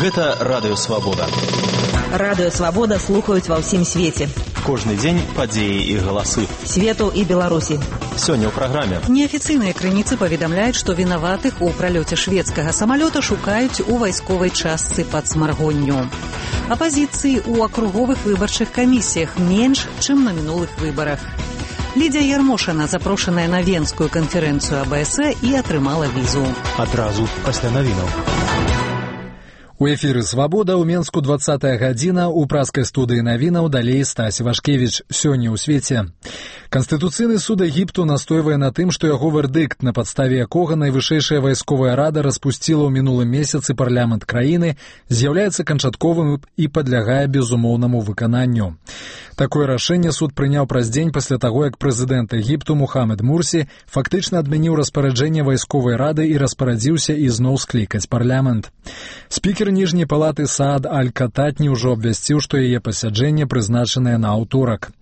Гэта Радыё Свабода. Радыё Свабода слухаюць ва ўсім свеце. Кожны дзень падзеі і галасы. Свету і Беларусі. Сёння ў праграме. Неафіцыйныя крыніцы паведамляюць, што вінаватых у пралёце шведскага самалёта шукаюць у вайсковай частцы пад Смаргонню. Апазіцыі ў акруговых выбарчых камісіях менш, чым на мінулых выбарах. Лідзія Ярмошына запрошаная на Венскую канферэнцыю АБС і атрымала візу. Адразу пасля навінаў. У эфіры «Свабода» ў Менску 20-я гадзіна, у праскай студыі навінаў далей Стась Вашкевіч. Сёння ў свеце. Канстытуцыйны суд Егіпту настойвае на тым, што яго вердыкт, на падставе якога найвышэйшая вайсковая рада распусціла ў мінулым месяцы парламент краіны, з'яўляецца канчатковым і падлягае безумоўнаму выкананню. Такое рашэнне суд прыняў праз дзень пасля таго, як прэзідэнт Егіпту Мухаммед Мурсі фактычна адмяніў распараджэнне вайсковай рады і распарадзіўся ізноў склікаць парламент. Спікер ніжняй палаты Саад Аль-Кататні ўжо абвясціў, што яе пасяджэнне прызначанае на аўторак.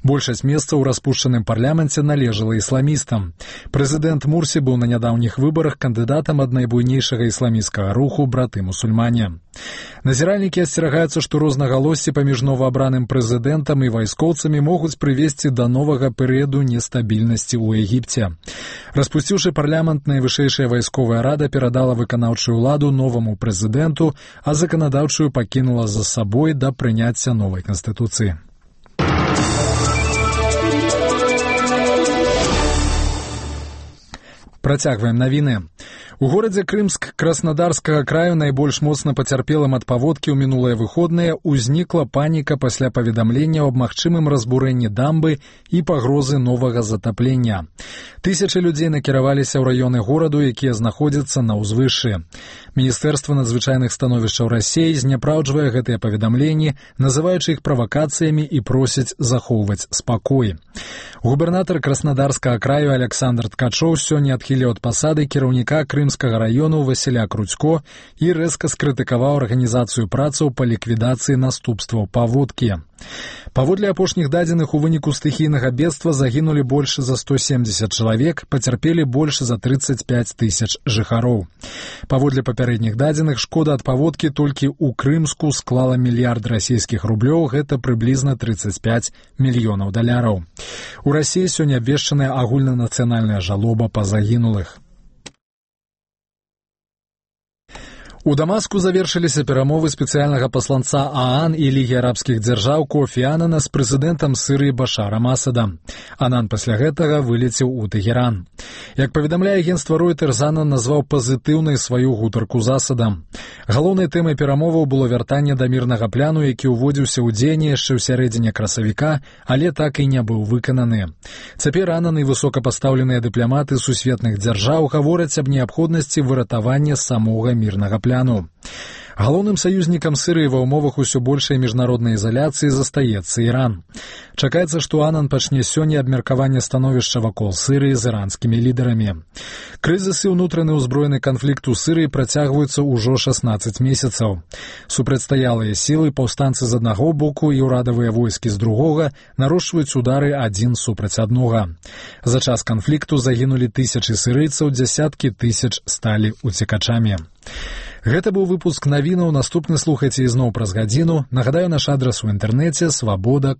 Большасць месцаў у распушчаным парламенце належала ісламістам. Прэзідэнт Мурсі быў на нядаўніх выбарах кандыдатам ад найбуйнейшага ісламісцкага руху браты-мусульмане. Назіральнікі асцерагаюцца, што рознагалоссі паміж новаабраным прэзідэнтам і вайскоўцамі могуць прывесці да новага перыяду нестабільнасці ў Егіпце. Распусціўшы парламент, найвышэйшая вайсковая рада перадала выканаўчую ўладу новаму прэзідэнту, а заканадаўчую пакінула за сабой да прыняцця новай канстытуцыі. Працягваем навіны. У горадзе Крымск Краснадарскага краю найбольш моцна пацярпелым ад паводкі ў мінулыя выходныя ўзнікла паніка пасля паведамлення аб магчымым разбурэнні дамбы і пагрозы новага затаплення. Тысячы людзей накіраваліся ў раёны гораду, якія знаходзяцца на ўзвышшы. Міністэрства надзвычайных становішчаў Расіі зняпраўджвае гэтыя паведамленні, называючы іх правакацыямі і просяць захоўваць спакой. Губернатар Краснадарскага краю Александр Ткачоў сёння адхіліў ад пасады кіраўніка Крымскага раёну Васіля Крудзько і рэзка скрытыкаваў арганізацыю працаў па ліквідацыі наступстваў паводкі. Паводле апошніх дадзеных, у выніку стыхійнага бедства загінулі больш за 170 чалавек, пацярпелі больш за 35 тысяч жыхароў. Паводле папярэдніх дадзеных, шкода ад паводкі толькі ў Крымску склала мільярд расійскіх рублёў, гэта прыблізна 35 мільёнаў даляраў. У Расіі сёння абвешчаная агульнанацыянальная жалоба па загінулых. У Дамаску завершыліся перамовы спецыяльнага пасланца ААН і Лігі арабскіх дзяржаў Кофі Анана з прэзідэнтам Сірыі Башарам Асадам. Анан пасля гэтага вылецеў у Тэгеран. Як паведамляе агенцтва Reuters, Анан назваў пазітыўнай сваю гутарку з Асадам. Галоўнай тэмай перамоваў было вяртанне да мірнага пляну, які ўводзіўся ў дзеянне яшчэ ў сярэдзіне красавіка, але так і не быў выкананы. Цяпер Анан і высокапастаўленыя дыпламаты сусветных дзяржаў гавораць аб неабходнасці выратавання самога мірнага пляну. Галоўным саюзнікам Сірыі ва ўмовах усё большай міжнароднай изаляцыі застаецца Іран. Чакаецца, што Анан пачне сёння абмеркаванне становішча вакол Сірыі з іранскімі лідарамі. Крызіс і ўнутраны ўзброены канфлікт у Сірыі працягваюцца ўжо 16 месяцаў. Супрацьстаялыя сілы, паўстанцы з аднаго боку і ўрадавыя войскі з другога нарошчваюць удары адзін супраць аднога. За час канфлікту загінулі тысячы сірыйцаў, дзясяткі тысяч сталі уцекачамі. Гэта быў выпуск навінаў, наступны слухайце ізноў праз гадзіну. Нагадаю, наш адрас у інтэрнэце свабода.